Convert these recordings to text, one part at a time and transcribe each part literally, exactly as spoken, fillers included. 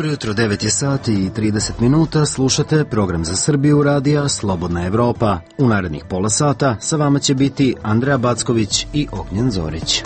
Jutro devet je sati i trideset minuta, slušate program za Srbiju radija Slobodna Evropa. U narednih pola sata sa vama će biti Andreja Backović i Ognjen Zorić.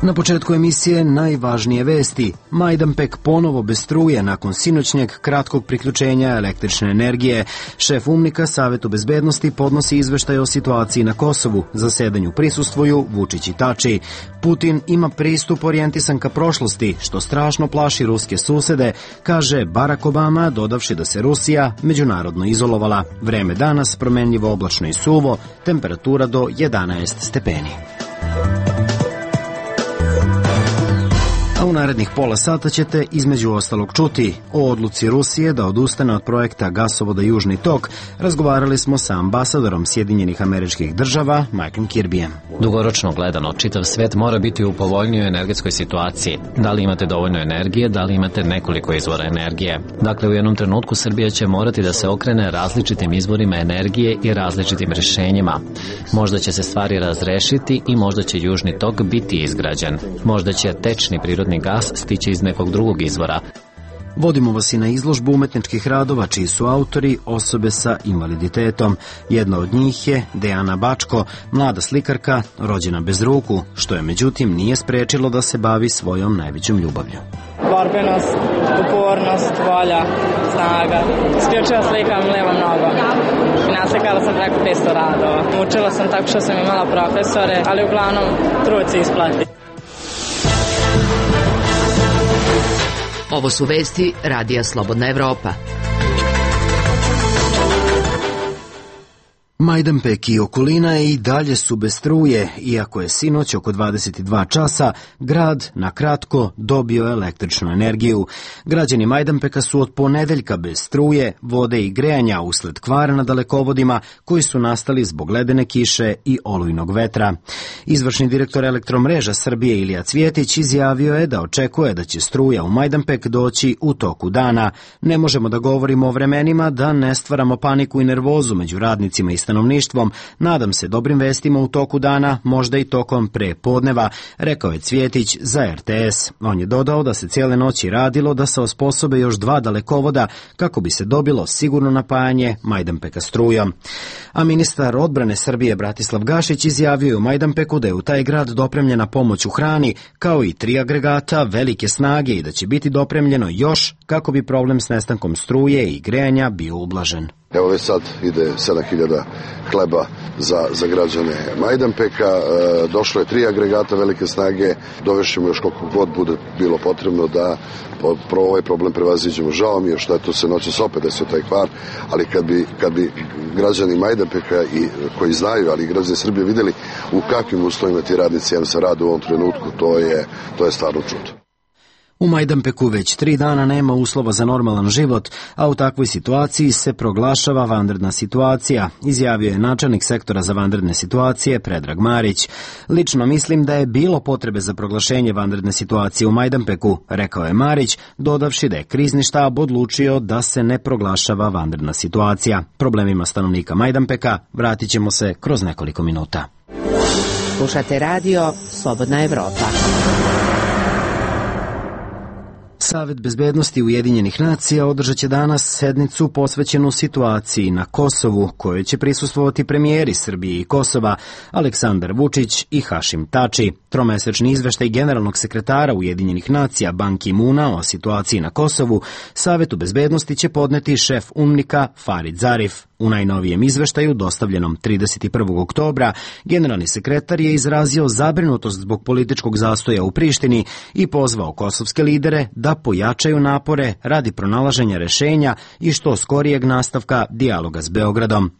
Na početku emisije najvažnije vesti. Majdanpek ponovo bez struje nakon sinoćnjeg kratkog priključenja električne energije. Šef UNMIK-a Savetu bezbednosti podnosi izveštaj o situaciji na Kosovu. Zasedanju prisustvuju Vučić i Tači. Putin ima pristup orijentisan ka prošlosti, što strašno plaši ruske susede, kaže Barack Obama, dodavši da se Rusija međunarodno izolovala. Vreme danas promenljivo, oblačno i suvo, temperatura do jedanaest stepeni. U narednih pola sata ćete između ostalog čuti o odluci Rusije da odustane od projekta gasovoda Južni tok. Razgovarali smo sa ambasadorom Sjedinjenih Američkih Država, Michaelom Kirbyjem. Dugoročno gledano, čitav svet mora biti u povoljnijoj energetskoj situaciji. Da li imate dovoljno energije, da li imate nekoliko izvora energije. Dakle, u jednom trenutku Srbija će morati da se okrene različitim izvorima energije i različitim rješenjima. Možda će se stvari razrešiti i možda će Južni tok biti izgrađen. Možda će tečni prirodni gas stići iz nekog drugog izvora. Vodimo vas i na izložbu umetničkih radova čiji su autori osobe sa invaliditetom. Jedna od njih je Dejana Bačko, mlada slikarka rođena bez ruku, što je međutim nije sprečilo da se bavi svojom najvećom ljubavlju. Borbenost, upornost, volja, snaga. Isključivo slikam levom nogom. I naslikala sam preko petsto radova. Učila sam tako što sam imala profesore, ali uglavnom trud se isplati. Ovo su vesti Radija Slobodna Evropa. Majdanpek i okolina i dalje su bez struje, iako je sinoć oko dvadeset dva časa grad na kratko dobio električnu energiju. Građani Majdanpeka su od ponedeljka bez struje, vode i grejanja usled kvara na dalekovodima koji su nastali zbog ledene kiše i olujnog vetra. Izvršni direktor Elektromreža Srbije Ilija Cvjetić izjavio je da očekuje da će struja u Majdanpek doći u toku dana. Ne možemo da govorimo o vremenima da ne stvaramo paniku i nervozu među radnicima i stanovništvom. Nadam se dobrim vestima u toku dana, možda i tokom pre podneva, rekao je Cvjetić za R T S. On je dodao da se cijele noći radilo da se osposobe još dva dalekovoda kako bi se dobilo sigurno napajanje Majdanpeka strujom. A ministar odbrane Srbije Bratislav Gašić izjavio je u Majdanpeku da je u taj grad dopremljena pomoć u hrani, kao i tri agregata velike snage i da će biti dopremljeno još kako bi problem s nestankom struje i grejanja bio ublažen. Evo već sad ide sedam hiljada hleba za, za građane Majdanpeka, e, došlo je tri agregata velike snage, dovešćemo još koliko god bude bilo potrebno da pro ovaj problem prevaziđemo. Žao mi je što je to se noćas opet desio taj kvar, ali kad bi, kad bi građani Majdanpeka i koji znaju, ali i građani Srbije vidjeli u kakvim uslovima ti radnici M S rade u ovom trenutku, to je, to je stvarno čudo. U Majdanpeku već tri dana nema uslova za normalan život, a u takvoj situaciji se proglašava vanredna situacija, izjavio je načelnik sektora za vanredne situacije Predrag Marić. Lično mislim da je bilo potrebe za proglašenje vanredne situacije u Majdanpeku, rekao je Marić, dodavši da je krizni štab odlučio da se ne proglašava vanredna situacija. Problemima stanovnika Majdanpeka vratit ćemo se kroz nekoliko minuta. Slušate radio Slobodna Evropa. Savet bezbednosti Ujedinjenih nacija održat će danas sednicu posvećenu situaciji na Kosovu, kojoj će prisustvovati premijeri Srbije i Kosova Aleksandar Vučić i Hašim Tači. Tromesečni izveštaj generalnog sekretara Ujedinjenih nacija Ban Ki-muna o situaciji na Kosovu Savetu bezbednosti će podneti šef UNMIK-a Farid Zarif. U najnovijem izveštaju, dostavljenom trideset prvog oktobra, generalni sekretar je izrazio zabrinutost zbog političkog zastoja u Prištini i pozvao kosovske lidere da pojačaju napore radi pronalaženja rešenja i što skorijeg nastavka dijaloga s Beogradom.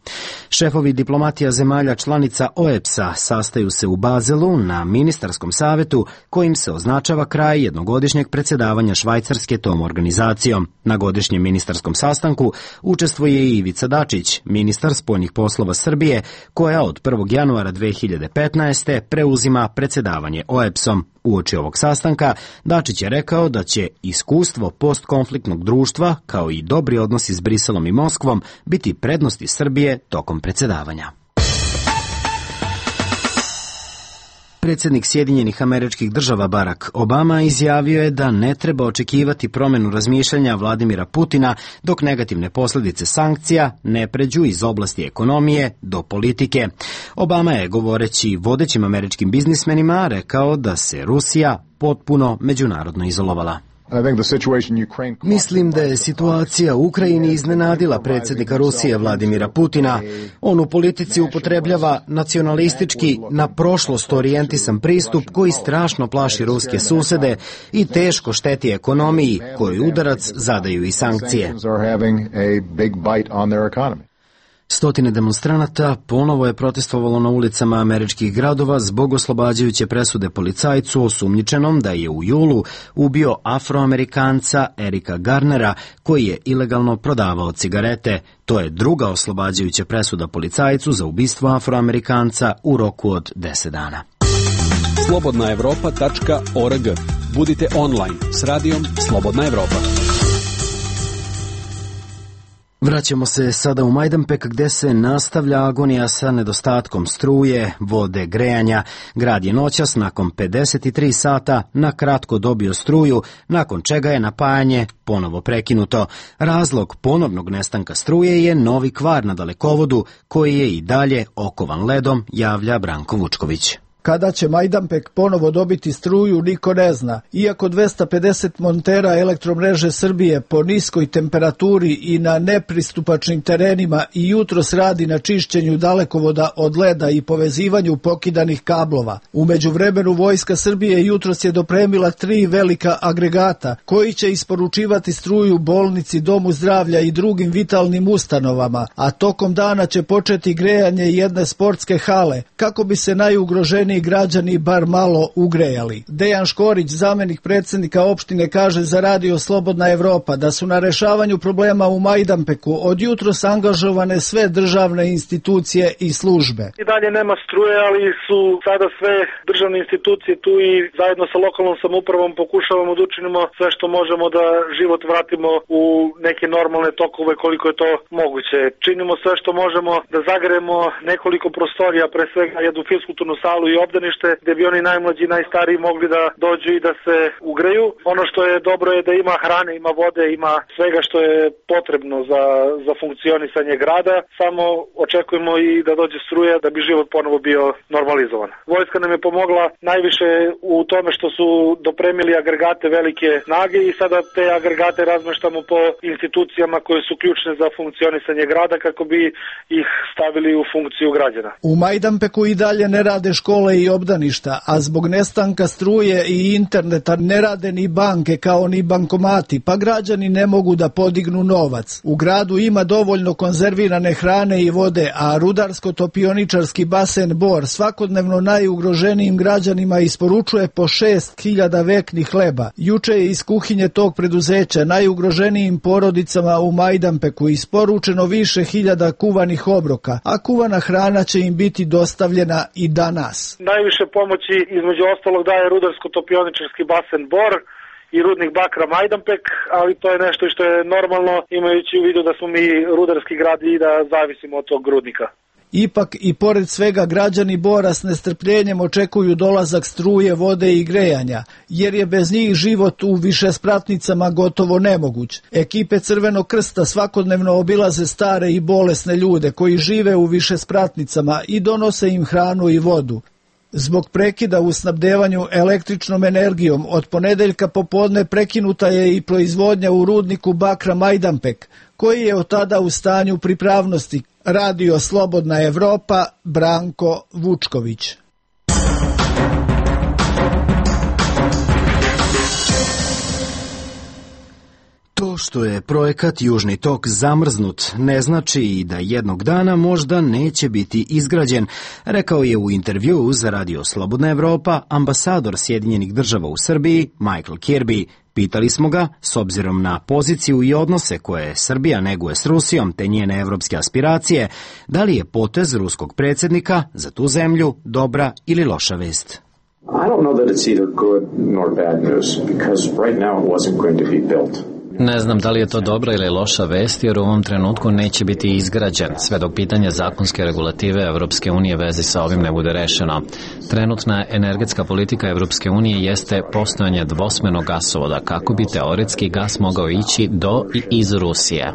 Šefovi diplomatija zemalja članica O E B S-a sastaju se u Bazelu na ministarskom savetu kojim se označava kraj jednogodišnjeg predsjedavanja Švajcarske tom organizacijom. Na godišnjem ministarskom sastanku učestvuje i Ivica Dačić, Branković, ministar spoljnih poslova Srbije, koja od prvog januara dve hiljade petnaeste. preuzima predsjedavanje O E B S-om. Uoči ovog sastanka Dačić je rekao da će iskustvo postkonfliktnog društva, kao i dobri odnosi s Briselom i Moskvom, biti prednosti Srbije tokom predsjedavanja. Predsjednik Sjedinjenih Američkih Država Barack Obama izjavio je da ne treba očekivati promjenu razmišljanja Vladimira Putina dok negativne posljedice sankcija ne pređu iz oblasti ekonomije do politike. Obama je, govoreći vodećim američkim biznismenima, rekao da se Rusija potpuno međunarodno izolovala. Mislim da je situacija u Ukrajini iznenadila predsjednika Rusije Vladimira Putina. On u politici upotrebljava nacionalistički, na prošlost orijentisan pristup koji strašno plaši ruske susede i teško šteti ekonomiji, kojoj udarac zadaju i sankcije. Stotine demonstranata ponovo je protestovalo na ulicama američkih gradova zbog oslobađajuće presude policajcu osumnjičenom da je u julu ubio Afroamerikanca Erika Garnera, koji je ilegalno prodavao cigarete. To je druga oslobađajuća presuda policajcu za ubistvo Afroamerikanca u roku od deset dana. slobodna evropa tačka org. Budite online s radijom Slobodna Evropa. Vraćamo se sada u Majdanpek gdje se nastavlja agonija sa nedostatkom struje, vode, grejanja. Grad je noćas nakon pedeset tri sata na kratko dobio struju, nakon čega je napajanje ponovo prekinuto. Razlog ponovnog nestanka struje je novi kvar na dalekovodu koji je i dalje okovan ledom, javlja Branko Vučković. Kada će Majdanpek ponovo dobiti struju, niko ne zna. Iako dvesta pedeset montera elektromreže Srbije po niskoj temperaturi i na nepristupačnim terenima i jutros radi na čišćenju dalekovoda od leda i povezivanju pokidanih kablova. U međuvremenu Vojska Srbije jutros je dopremila tri velika agregata koji će isporučivati struju bolnici, domu zdravlja i drugim vitalnim ustanovama, a tokom dana će početi grejanje jedne sportske hale kako bi se najugroženiji građani bar malo ugrejali. Dejan Škorić, zamenik predsjednika opštine, kaže za radio Slobodna Evropa da su na rešavanju problema u Majdanpeku od jutros angažovane sve državne institucije i službe. I dalje nema struje, ali su sada sve državne institucije tu i zajedno sa lokalnom samoupravom pokušavamo da učinimo sve što možemo da život vratimo u neke normalne tokove koliko je to moguće. Činimo sve što možemo da zagrejemo nekoliko prostorija, pre svega jednu fiskulturnu salu i obdanište, gde bi oni najmlađi i najstariji mogli da dođu i da se ugreju. Ono što je dobro je da ima hrane, ima vode, ima svega što je potrebno za, za funkcionisanje grada. Samo očekujemo i da dođe struja da bi život ponovo bio normalizovan. Vojska nam je pomogla najviše u tome što su dopremili agregate velike snage i sada te agregate razmeštamo po institucijama koje su ključne za funkcionisanje grada kako bi ih stavili u funkciju građana. U Majdanpeku i dalje ne rade škole i obdaništa, a zbog nestanka struje i interneta ne rade ni banke kao ni bankomati, pa građani ne mogu da podignu novac. U gradu ima dovoljno konzervirane hrane i vode, a rudarsko-topioničarski basen Bor svakodnevno najugroženijim građanima isporučuje po šest hiljada veknih hleba. Juče je iz kuhinje tog preduzeća najugroženijim porodicama u Majdanpeku isporučeno više hiljada kuvanih obroka, a kuvana hrana će im biti dostavljena i danas. Najviše pomoći između ostalog daje rudarsko-topioničarski basen Bor i rudnik bakra Majdanpek, ali to je nešto što je normalno imajući u vidu da smo mi rudarski grad i da zavisimo od tog rudnika. Ipak i pored svega građani Bora s nestrpljenjem očekuju dolazak struje, vode i grejanja, jer je bez njih život u višespratnicama gotovo nemoguć. Ekipe Crvenog krsta svakodnevno obilaze stare i bolesne ljude koji žive u višespratnicama i donose im hranu i vodu. Zbog prekida u snabdevanju električnom energijom od ponedeljka popodne prekinuta je i proizvodnja u rudniku bakra Majdanpek, koji je od tada u stanju pripravnosti. Radio Slobodna Evropa, Branko Vučković. To što je projekat Južni tok zamrznut ne znači i da jednog dana možda neće biti izgrađen, rekao je u intervjuu za Radio Slobodna Evropa ambasador Sjedinjenih država u Srbiji Michael Kirby. Pitali smo ga, s obzirom na poziciju i odnose koje Srbija neguje s Rusijom te njene evropske aspiracije, da li je potez ruskog predsjednika za tu zemlju dobra ili loša vest. I don't know that it's either good nor bad news because right now it wasn't going to be built. Ne znam da li je to dobra ili loša vest, jer u ovom trenutku neće biti izgrađen, sve dok pitanje zakonske regulative Evropske unije vezi sa ovim ne bude rešeno. Trenutna energetska politika Evropske unije jeste postojanje dvosmernog gasovoda, kako bi teoretski gas mogao ići do i iz Rusije.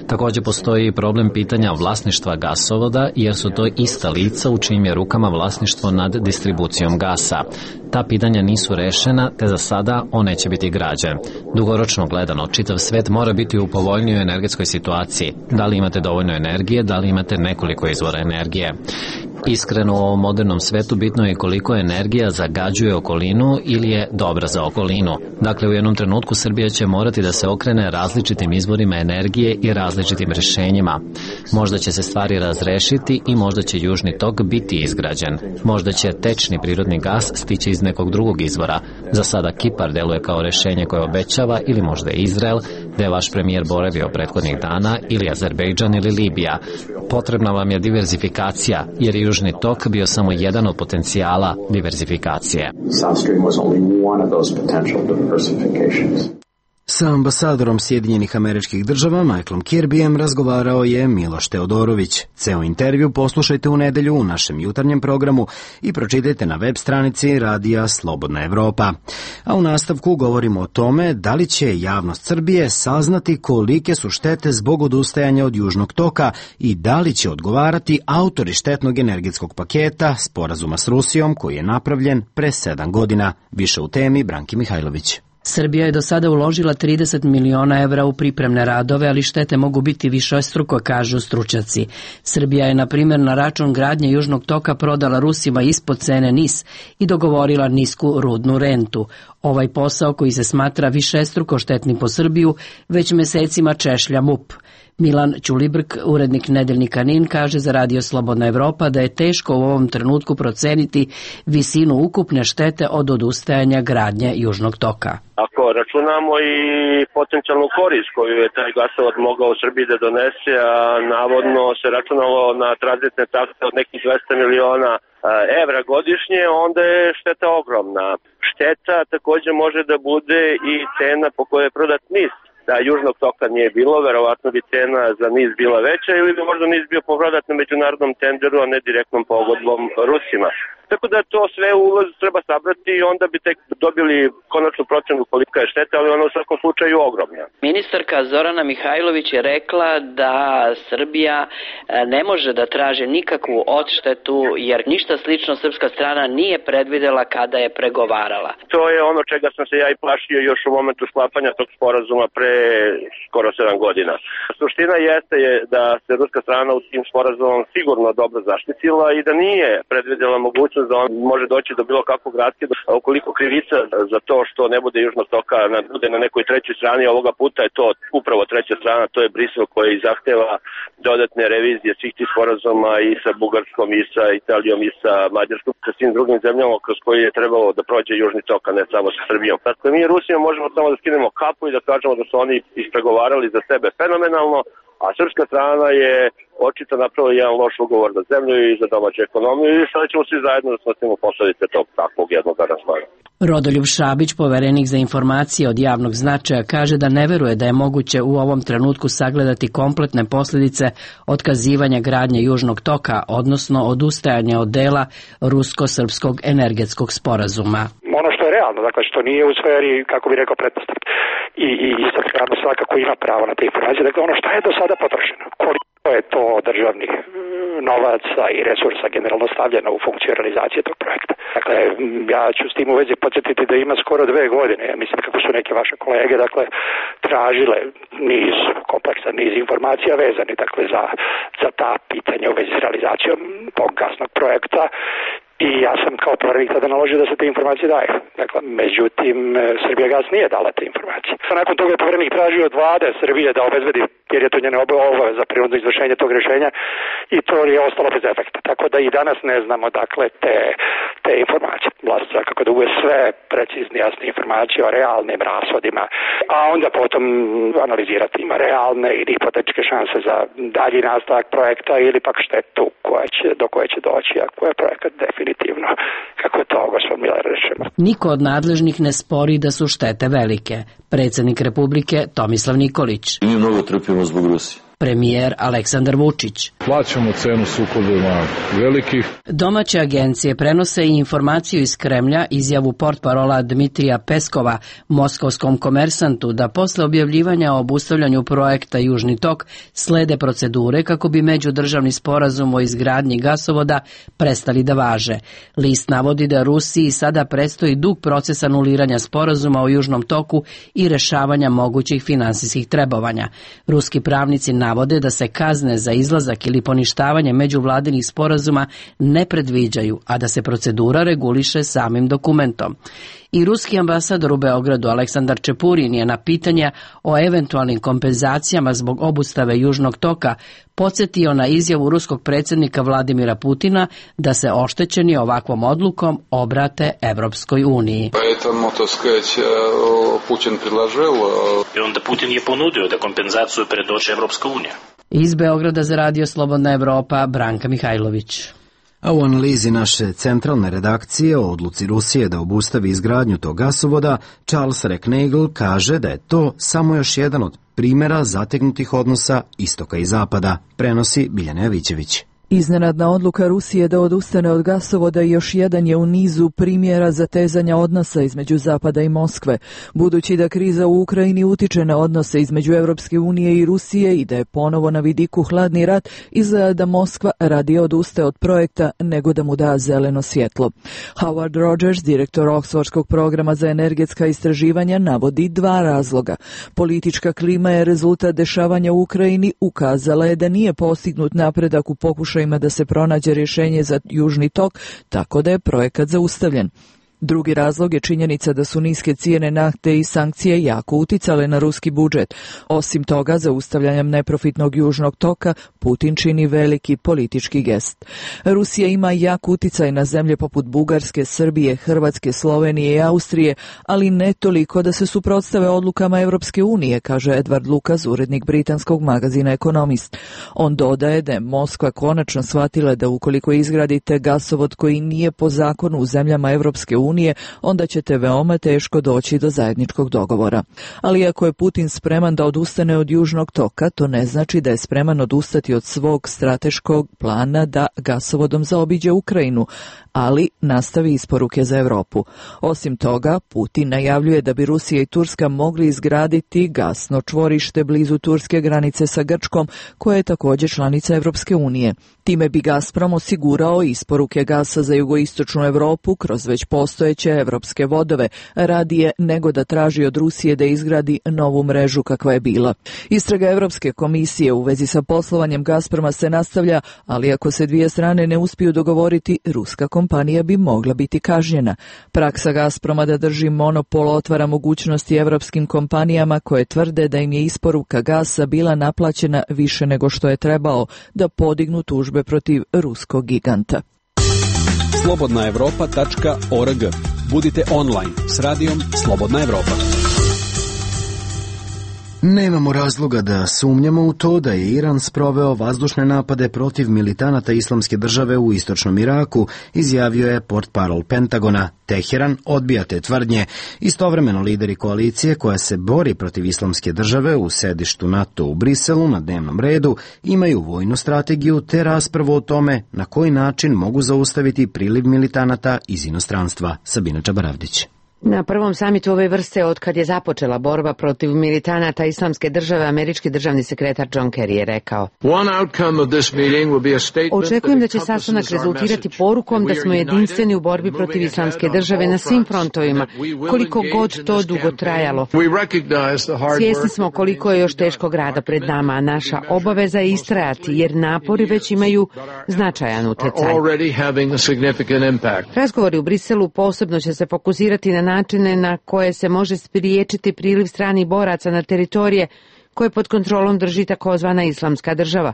Takođe postoji i problem pitanja vlasništva gasovoda, jer su to ista lica u čijim je rukama vlasništvo nad distribucijom gasa. Ta pitanja nisu rešena, te za sada on neće biti građen. Dugoročno gledano, čitav svet mora biti u povoljnijoj energetskoj situaciji. Da li imate dovoljno energije, da li imate nekoliko izvora energije. Iskreno, u ovom modernom svetu bitno je koliko energija zagađuje okolinu ili je dobra za okolinu. Dakle, u jednom trenutku Srbija će morati da se okrene različitim izvorima energije i različitim rešenjima. Možda će se stvari razrešiti i možda će Južni tok biti izgrađen. Možda će tečni prirodni gas stići iz nekog drugog izvora. Za sada Kipar deluje kao rešenje koje obećava, ili možda Izrael, gde je vaš premijer boravio prethodnih dana, ili Azerbejdžan ili Libija. Potrebna vam je diverzifikacija, jer je Južni tok bio samo jedan od potencijala diverzifikacije. South Stream was only one of those potential diversifications. Sa ambasadorom Sjedinjenih Američkih Država Michaelom Kirbyjem razgovarao je Miloš Teodorović. Ceo intervju poslušajte u nedelju u našem jutarnjem programu i pročitajte na web stranici Radija Slobodna Evropa. A u nastavku govorimo o tome da li će javnost Srbije saznati kolike su štete zbog odustajanja od Južnog toka i da li će odgovarati autori štetnog energetskog paketa sporazuma s Rusijom koji je napravljen pre sedam godina. Više u temi Branki Mihajlović. Srbija je do sada uložila trideset miliona evra u pripremne radove, ali štete mogu biti višestruko, kažu stručnjaci. Srbija je, na primjer, na račun gradnje Južnog toka prodala Rusima ispod cene N I S i dogovorila nisku rudnu rentu. Ovaj posao, koji se smatra višestruko štetnim po Srbiju, već mesecima češlja M U P. Milan Ćulibrk, urednik nedeljnika N I N, kaže za Radio Slobodna Evropa da je teško u ovom trenutku proceniti visinu ukupne štete od odustajanja gradnje Južnog toka. Ako računamo i potencijalnu korist koju je taj gasovod mogao u Srbiji da donese, a navodno se računalo na tranzitne takse od nekih dvesta miliona evra godišnje, onda je šteta ogromna. Šteta takođe može da bude i cena po kojoj je prodat N I S. Da Južnog toka nije bilo, verovatno bi cena za N I S bila veća ili bi možda N I S bio prodat na međunarodnom tenderu, a ne direktnom pogodbom Rusima. Tako da to sve ulaz treba sabrati i onda bi tek dobili konačnu procenu kolika je šteta, ali ona u svakom slučaju ogromna. Ministarka Zorana Mihajlović je rekla da Srbija ne može da traži nikakvu odštetu jer ništa slično srpska strana nije predvidela kada je pregovarala. To je ono čega sam se ja i plašio još u momentu sklapanja tog sporazuma pre skoro sedam godina. Suština jeste je da se ruska strana u tim sporazumom sigurno dobro zaštitila i da nije predvidela mogućnost da on može doći do bilo kakvog raskida. Ukoliko krivica za to što ne bude Južnog toka bude na nekoj trećoj strani, ovoga puta je to upravo treća strana, to je Brisel koji zahteva dodatne revizije svih tih sporazuma i sa Bugarskom, i sa Italijom, i sa Mađarskom, sa svim drugim zemljama kroz koji je trebalo da prođe Južni tok, a ne samo sa Srbijom. Dakle, mi Rusijom možemo samo da skinemo kapu i da kažemo da su oni ispregovarali za sebe fenomenalno, a srpska strana je očito napravila jedan loš ugovor za zemlju i za domaću ekonomiju i sada ćemo svi zajedno da snosimo posledice tog takvog jednog aranžmana. Rodoljub Šabić, poverenik za informacije od javnog značaja, kaže da ne veruje da je moguće u ovom trenutku sagledati kompletne posljedice otkazivanja gradnje Južnog toka, odnosno odustajanja od dela rusko-srpskog energetskog sporazuma. Ono što je realno, dakle što nije u sferi, kako bi rekao, pretpostavke. I, i, i strano svakako ima pravo na te informacije. Dakle, ono što je do sada potrošeno, koliko je to državnih novaca i resursa generalno stavljeno u funkciju realizacije tog projekta. Dakle, ja ću s tim u vezi podsjetiti da ima skoro dve godine, ja mislim kako su neke vaše kolege, dakle, tražile niz kompleksan niz informacija vezani, dakle, za, za ta pitanja u vezi s realizacijom tog gasnog projekta. I ja sam kao poverenik tada naložio da se te informacije daju. Dakle, međutim, Srbijagas nije dala te informacije. informacije. Nakon toga je povjerenik tražio od vlade Srbije da obezbedi, jer je to njena obaveza prinudno izvršenje tog rješenja, i to je ostalo bez efekta. Tako da i danas ne znamo dakle te, te informacije. Vlast svakako da uvije sve precizne, jasne informacije o realnim rashodima, a onda potom analizirati ima realne ili hipotetičke šanse za dalji nastavak projekta ili pak štetu koja će, do koje će doći ako je projekat definitivno, kako je to gospod Miller rečeno. Niko od nadležnih ne spori da su štete velike. Predsjednik Republike Tomislav Nikolić. Mi mnogo trpimo zbog Rusije. Premijer Aleksandar Vučić. Plaćamo cenu sukobima velikih. Domaće agencije prenose i informaciju iz Kremlja, izjavu portparola Dmitrija Peskova moskovskom Komersantu da posle objavljivanja o obustavljanju projekta Južni tok slede procedure kako bi međudržavni sporazum o izgradnji gasovoda prestali da važe. List navodi da Rusiji sada predstoji dug proces anuliranja sporazuma o Južnom toku i rešavanja mogućih finansijskih trebovanja. Ruski pravnici navode da se kazne za izlazak ili poništavanje međuvladinih sporazuma ne predviđaju, a da se procedura reguliše samim dokumentom. I ruski ambasador u Beogradu Aleksandar Čepurin je na pitanja o eventualnim kompenzacijama zbog obustave Južnog toka podsjetio na izjavu ruskog predsjednika Vladimira Putina da se oštećeni ovakvom odlukom obrate Evropskoj uniji. Поэтому, так сказать, Putin предложил. I onda Putin je ponudio da kompenzaciju predoči Evropska unija. Iz Beograda za Radio Slobodna Evropa, Branka Mihajlović. A u analizi naše centralne redakcije o odluci Rusije da obustavi izgradnju tog gasovoda, Charles Recknagel kaže da je to samo još jedan od primjera zategnutih odnosa istoka i zapada, prenosi Biljana Javićević. Iznenadna odluka Rusije da odustane od gasovoda još jedan je u nizu primjera zatezanja odnosa između Zapada i Moskve. Budući da kriza u Ukrajini utiče na odnose između Evropske unije i Rusije i da je ponovo na vidiku hladni rat, izgleda da Moskva radije odustaje od projekta nego da mu da zeleno svjetlo. Howard Rogers, direktor Oxfordskog programa za energetska istraživanja, navodi dva razloga. Politička klima je rezultat dešavanja u Ukrajini, ukazala je da nije postignut napredak u pokušaju da se pronađe rješenje za Južni tok, tako da je projekat zaustavljen. Drugi razlog je činjenica da su niske cijene nafte i sankcije jako uticale na ruski budžet. Osim toga, zaustavljanjem neprofitnog Južnog toka, Putin čini veliki politički gest. Rusija ima jak uticaj na zemlje poput Bugarske, Srbije, Hrvatske, Slovenije i Austrije, ali ne toliko da se suprotstave odlukama Evropske unije, kaže Edward Lucas, urednik britanskog magazina Economist. On dodaje da je Moskva konačno shvatila da ukoliko izgradite gasovod koji nije po zakonu u zemljama Evropske unije, unije, onda ćete veoma teško doći do zajedničkog dogovora. Ali ako je Putin spreman da odustane od Južnog toka, to ne znači da je spreman odustati od svog strateškog plana da gasovodom zaobiđe Ukrajinu, ali nastavi isporuke za Europu. Osim toga, Putin najavljuje da bi Rusija i Turska mogli izgraditi gasno čvorište blizu turske granice sa Grčkom, koja je također članica Evropske unije. Time bi Gazprom osigurao isporuke gasa za jugoistočnu Europu kroz već postojeće evropske vodove, radije nego da traži od Rusije da izgradi novu mrežu kakva je bila. Istraga Evropske komisije u vezi sa poslovanjem Gazproma se nastavlja, ali ako se dvije strane ne uspiju dogovoriti, ruska kompanija bi mogla biti kažnjena. Praksa Gazproma da drži monopol otvara mogućnosti evropskim kompanijama koje tvrde da im je isporuka gasa bila naplaćena više nego što je trebao, da podignu tužbe protiv ruskog giganta. slobodna evropa tačka org. Budite online s radijom Slobodna Evropa. Nemamo razloga da sumnjamo u to da je Iran sproveo vazdušne napade protiv militanata Islamske države u istočnom Iraku, izjavio je portparol Pentagona. Teheran odbija te tvrdnje. Istovremeno lideri koalicije koja se bori protiv Islamske države u sedištu NATO u Briselu na dnevnom redu imaju vojnu strategiju te raspravu o tome na koji način mogu zaustaviti priliv militanata iz inostranstva. Sabina Čabaravdić. Na prvom samitu ove vrste od kad je započela borba protiv militanata Islamske države, američki državni sekretar John Kerry je rekao: Očekujem da će sastanak rezultirati porukom da smo jedinstveni u borbi protiv Islamske države na svim frontovima, koliko god to dugo trajalo. Svjesni smo koliko je još teškog rada pred nama, a naša obaveza je istrajati, jer napori već imaju značajan utjecaj. Razgovori u Briselu posebno će se fokusirati na načine na koje se može spriječiti priliv stranih boraca na teritorije koje pod kontrolom drži takozvana islamska država,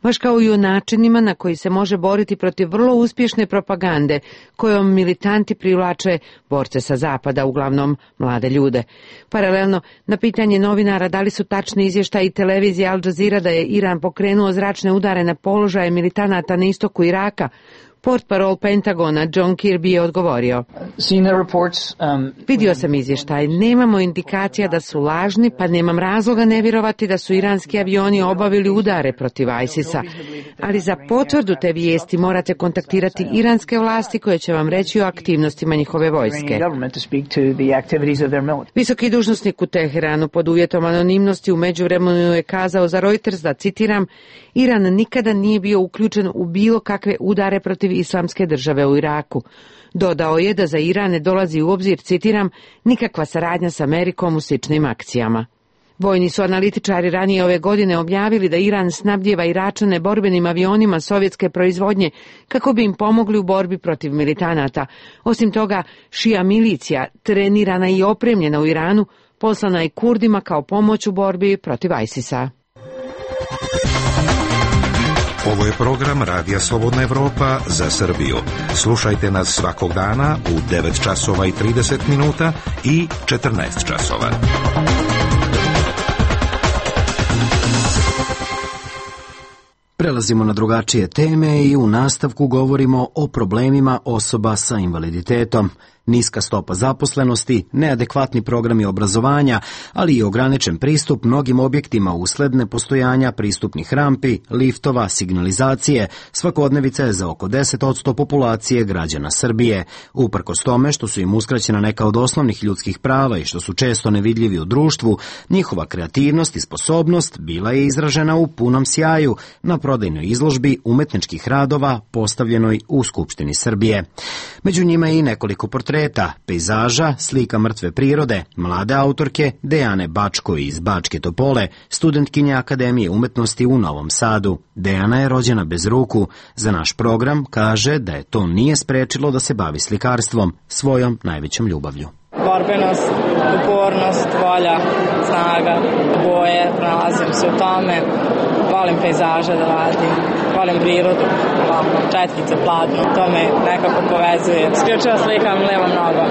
baš kao i o načinima na koji se može boriti protiv vrlo uspješne propagande kojom militanti privlače borce sa zapada, uglavnom mlade ljude. Paralelno, na pitanje novinara da li su tačni izvještaji televizije Al Jazeera da je Iran pokrenuo zračne udare na položaje militanata na istoku Iraka, portparol Pentagona John Kirby je odgovorio: Vidio sam izvještaj, nemamo indikacija da su lažni, pa nemam razloga ne vjerovati da su iranski avioni obavili udare protiv ISIS-a, ali za potvrdu te vijesti morate kontaktirati iranske vlasti koje će vam reći o aktivnostima njihove vojske. Visoki dužnosnik u Teheranu pod uvjetom anonimnosti u međuvremenu je kazao za Reuters da, citiram, Iran nikada nije bio uključen u bilo kakve udare protiv islamske države u Iraku. Dodao je da za Iran ne dolazi u obzir, citiram, nikakva saradnja s Amerikom u sličnim akcijama. Vojni su analitičari ranije ove godine objavili da Iran snabdijeva Iračane borbenim avionima sovjetske proizvodnje kako bi im pomogli u borbi protiv militanata. Osim toga, šija milicija, trenirana i opremljena u Iranu, poslana je Kurdima kao pomoć u borbi protiv ISIS-a. Ovo je program Radija Slobodna Evropa za Srbiju. Slušajte nas svakog dana u devet časova i trideset minuta i četrnaest časova. Prelazimo na drugačije teme i u nastavku govorimo o problemima osoba sa invaliditetom. Niska stopa zaposlenosti, neadekvatni programi obrazovanja, ali i ograničen pristup mnogim objektima usled nepostojanja pristupnih rampi, liftova, signalizacije, svakodnevica je za oko deset posto populacije građana Srbije. Uprkos tome što su im uskraćena neka od osnovnih ljudskih prava i što su često nevidljivi u društvu, njihova kreativnost i sposobnost bila je izražena u punom sjaju na prodajnoj izložbi umetničkih radova postavljenoj u Skupštini Srbije. Među njima je i nekoliko portreta, pejzaža, slika mrtve prirode, mlade autorke Dejane Bačko iz Bačke Topole, studentkinje Akademije umetnosti u Novom Sadu. Dejana je rođena bez ruku. Za naš program kaže da je to nije sprečilo da se bavi slikarstvom, svojom najvećom ljubavlju. Borbenost, upornost, volja, snaga, boje, pronalazim se u tome, volim pejzaže da radim, volim prirodu, ovako, četkice, platno, to me nekako povezuje. Isključivo slikam levom nogom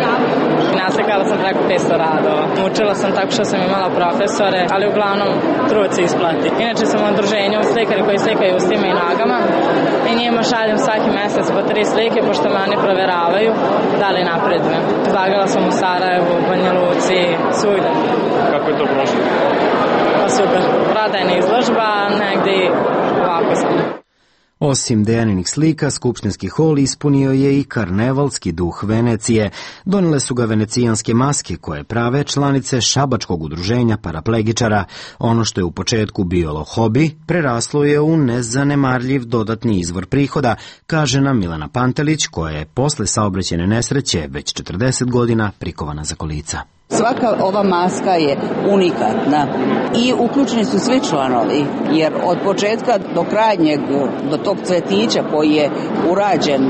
i naslikala sam preko petsto radova. Učila sam tako što sam imala profesore, ali uglavnom trud se isplati. Inače sam u udruženju slikari koji slikaju ustima i nogama i njima šaljem svaki mesec po tri slike, pošto me oni proveravaju da li napredujem. Izlagala sam u Sarajevu, u Banja Luci, svugde. Kako je to prošlo? Pa super. Prodajna izložba, negdje ovako sam. Osim Dejaninih slika, skupštinski hol ispunio je i karnevalski duh Venecije. Donele su ga venecijanske maske koje prave članice šabačkog udruženja paraplegičara. Ono što je u početku bio hobi, preraslo je u nezanemarljiv dodatni izvor prihoda, kaže nam Milena Pantelić, koja je posle saobraćajne nesreće već četrdeset godina prikovana za kolica. Svaka ova maska je unikatna i uključeni su svi članovi, jer od početka do krajnjeg, do tog cvetića koji je urađen,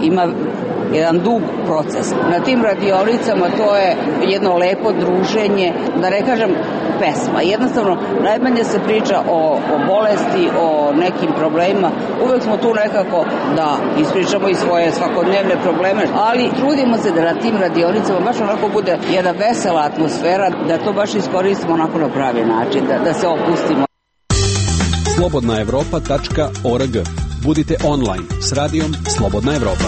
ima jedan dug proces. Na tim radionicama to je jedno lepo druženje, da ne kažem pesma. Jednostavno, najmanje se priča o, o bolesti, o nekim problemima. Uvek smo tu nekako da ispričamo i svoje svakodnevne probleme, ali trudimo se da na tim radionicama baš onako bude jedna vesela atmosfera, da to baš iskoristimo onako na pravi način, da, da se opustimo. slobodna evropa tačka org. Budite online s radijom Slobodna Evropa.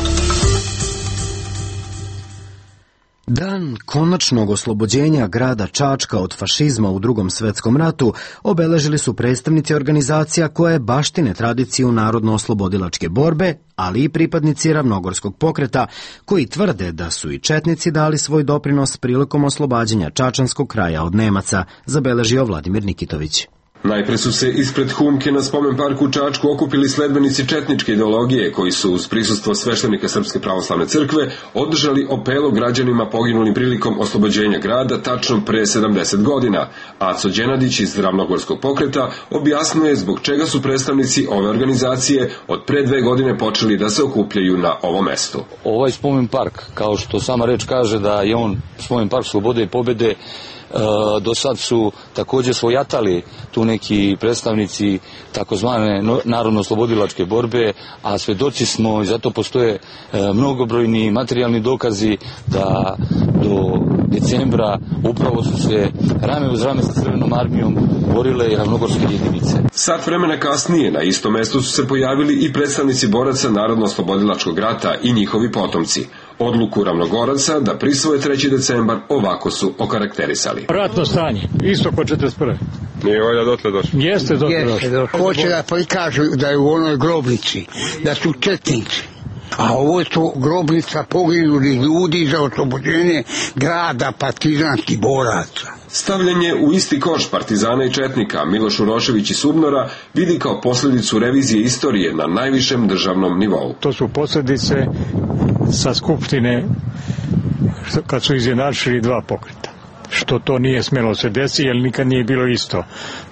Dan konačnog oslobođenja grada Čačka od fašizma u Drugom svetskom ratu obeležili su predstavnici organizacija koje baštine tradiciju narodno-oslobodilačke borbe, ali i pripadnici Ravnogorskog pokreta, koji tvrde da su i četnici dali svoj doprinos prilikom oslobađanja Čačanskog kraja od Nemaca, zabeležio Vladimir Nikitović. Najpre su se ispred humke na spomen parku u Čačku okupili sledbenici četničke ideologije koji su uz prisustvo sveštenika Srpske pravoslavne crkve održali opelo građanima poginulim prilikom oslobođenja grada tačno pre sedamdeset godina. Aco Đenadić iz Ravnogorskog pokreta objasnuje zbog čega su predstavnici ove organizacije od pre dve godine počeli da se okupljaju na ovom mestu. Ovaj spomen park, kao što sama reč kaže da je on spomen park slobode i pobede, do sad su također svojatali tu neki predstavnici takozvane narodno-oslobodilačke borbe, a svedoci smo i zato postoje mnogobrojni materijalni dokazi da do decembra upravo su se rame uz rame sa Crvenom armijom borile i ravnogorske jedinice. Sat vremena kasnije na istom mestu su se pojavili i predstavnici boraca Narodno-oslobodilačkog rata i njihovi potomci. Odluku Ravnogoraca da prisvoje treći decembar ovako su okarakterisali. Ratno stanje, isto ko četrdeset prve. Nije valja dotle došlo. Jeste dotle došlo. Hoće da prikažu da je u onoj grobnici, da su četnici. A ovo su grobnica poginuli ljudi za oslobođenje grada partizanskih boraca. Stavljanje u isti koš partizana i četnika Miloš Urošević i Subnora vidi kao posljedicu revizije istorije na najvišem državnom nivou. To su posljedice sa Skupštine kad su izjednačili dva pokreta. Što to nije smjelo se desiti, jer nikad nije bilo isto.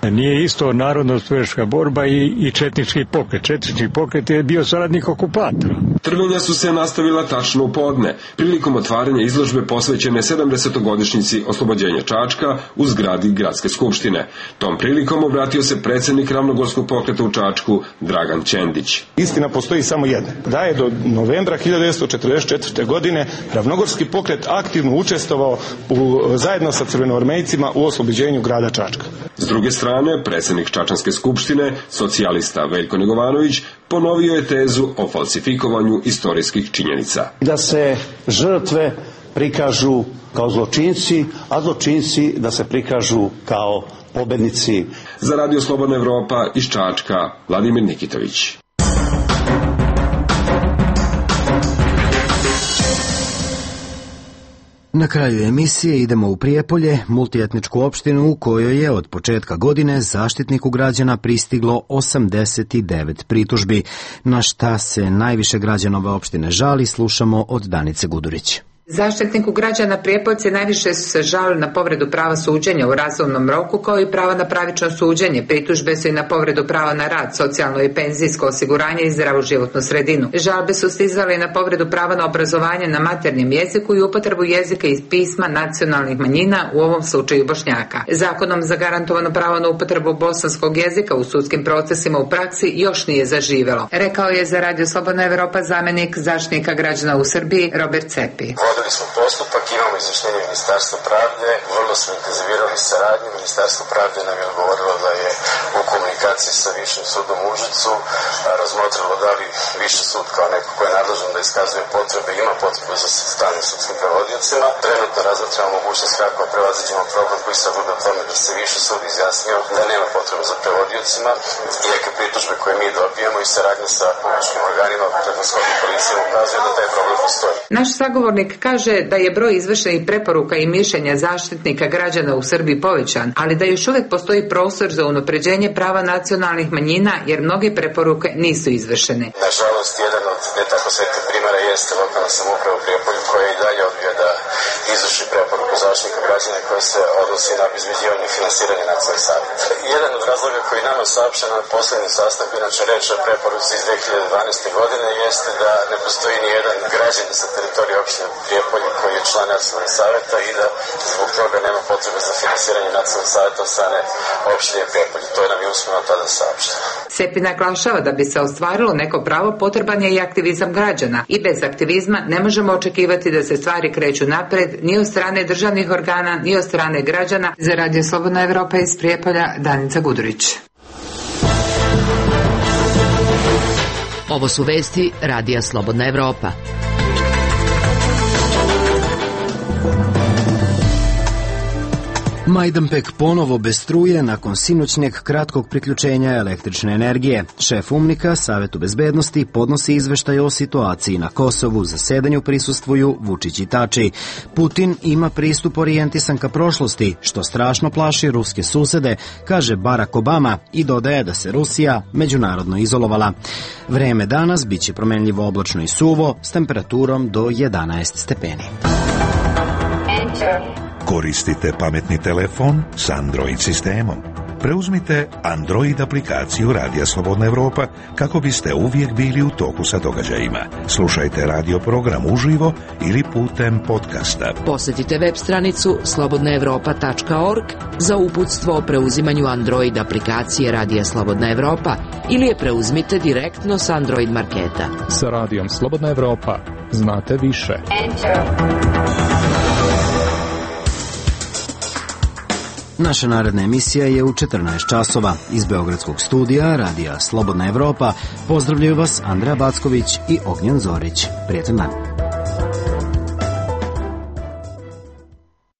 Nije isto narodno-oslobodilačka borba i, i četnički pokret. Četnički pokret je bio saradnik okupatora. Trvenja su se nastavila tačno u podne, prilikom otvaranja izložbe posvećene sedamdesetogodišnjici oslobođenja Čačka u zgradi Gradske skupštine. Tom prilikom obratio se predsjednik Ravnogorskog pokreta u Čačku Dragan Čendić. Istina postoji samo jedna, da je do novembra hiljadu devetsto četrdeset četvrte. godine Ravnogorski pokret aktivno učestvovao u, zajedno sa crvenoarmejcima u oslobođenju grada Čačka. S druge strane, predsjednik Čačanske skupštine, socijalista Veljko Negovanović, ponovio je tezu o falsifikovanju istorijskih činjenica. Da se žrtve prikažu kao zločinci, a zločinci da se prikažu kao pobednici. Za Radio Slobodna Evropa iz Čačka, Vladimir Nikitović. Na kraju emisije idemo u Prijepolje, multietničku opštinu u kojoj je od početka godine Zaštitniku građana pristiglo osamdeset devet pritužbi. Na šta se najviše građana ove opštine žali, slušamo od Danice Gudurić. Zaštitniku građana Prijepoljci najviše su se žalili na povredu prava suđenja u razumnom roku, kao i prava na pravično suđenje. Pritužbe su i na povredu prava na rad, socijalno i penzijsko osiguranje i zdravu životnu sredinu. Žalbe su stizale i na povredu prava na obrazovanje na maternjem jeziku i upotrebu jezika i pisma nacionalnih manjina, u ovom slučaju Bošnjaka. Zakonom zagarantovano pravo na upotrebu bosanskog jezika u sudskim procesima u praksi još nije zaživelo, rekao je za Radio Slobodna Evropa zamjenik Zaštitnika građana u Srbiji Robert Cepi. Vodili smo postupak, imamo izvještenje Ministarstva pravde, vrlo smo intenzivirali saradnju. Ministarstvo pravde nam je odgovorilo da je u komunikaciji sa Višim sudom u Užicu razmotrilo da li Viši sud kao neko ko je nadležan da iskazuje potrebe, ima potrebu za stalnim sudskim prevodiocima. Trenutno razmatramo mogućnost kako prevaziđemo problem koji sad bude o tome da se Viši sud izjasnio da nema potrebe za prevodiocima i neke pritužbe koje mi dobijemo i saradnje sa publičkim organima, prethodno policijom, ukazuje da taj problem postoji. Naš sagovornik kaže da je broj izvršenih preporuka i mišljenja Zaštitnika građana u Srbiji povećan, ali da još uvijek postoji prostor za unapređenje prava nacionalnih manjina, jer mnoge preporuke nisu izvršene. Nažalost, jedan od ne tako svetih primjera jeste lokalna samouprava u Prijepolju koja i dalje odbija da izvrši preporuku Zaštitnika građana koja se odnosi na obezbeđivanje i finansiranje nacionalnih saveta. Jedan od razloga koji nama saopšten na poslednjem sastanku, inače reč o preporuci iz dve hiljade dvanaeste. godine, jeste da ne postoji ni jedan građanin sa teritorije opštine Prijepolje koji je član nacionalnih saveta i da zbog toga nema potrebe za finansiranje nacionalnih saveta od strane opštine Prijepolje. To je nam je usmeno tada saopšteno. Sepi naglašava da bi se ostvarilo neko pravo potreban je i aktivizam građana i bez aktivizma ne možemo očekivati da se stvari kreću napred ni od strane državnih organa ni od strane građana. Za Radio Slobodna Evropa iz Prijepolja, Danica Gudurić. Ovo su vesti Radija Slobodna Evropa. Majdanpek ponovo bez struje nakon sinoćnjeg kratkog priključenja električne energije. Šef UMNIK-a Savetu bezbednosti podnosi izveštaj o situaciji na Kosovu. Zasedanju prisustvuju Vučić i Tači. Putin ima pristup orijentisan ka prošlosti, što strašno plaši ruske susede, kaže Barack Obama i dodaje da se Rusija međunarodno izolovala. Vreme danas biće promenljivo oblačno i suvo s temperaturom do jedanaest stepeni. Koristite pametni telefon s Android sistemom. Preuzmite Android aplikaciju Radija Slobodna Evropa kako biste uvijek bili u toku sa događajima. Slušajte radio program uživo ili putem podcasta. Posjetite web stranicu slobodna evropa tačka org za uputstvo o preuzimanju Android aplikacije Radija Slobodna Evropa ili je preuzmite direktno s Android marketa. Sa Radijom Slobodna Evropa znate više. Naša naredna emisija je u četrnaest časova. Iz Beogradskog studija Radija Slobodna Evropa pozdravljaju vas Andreja Backović i Ognjen Zorić. Prijetan dan.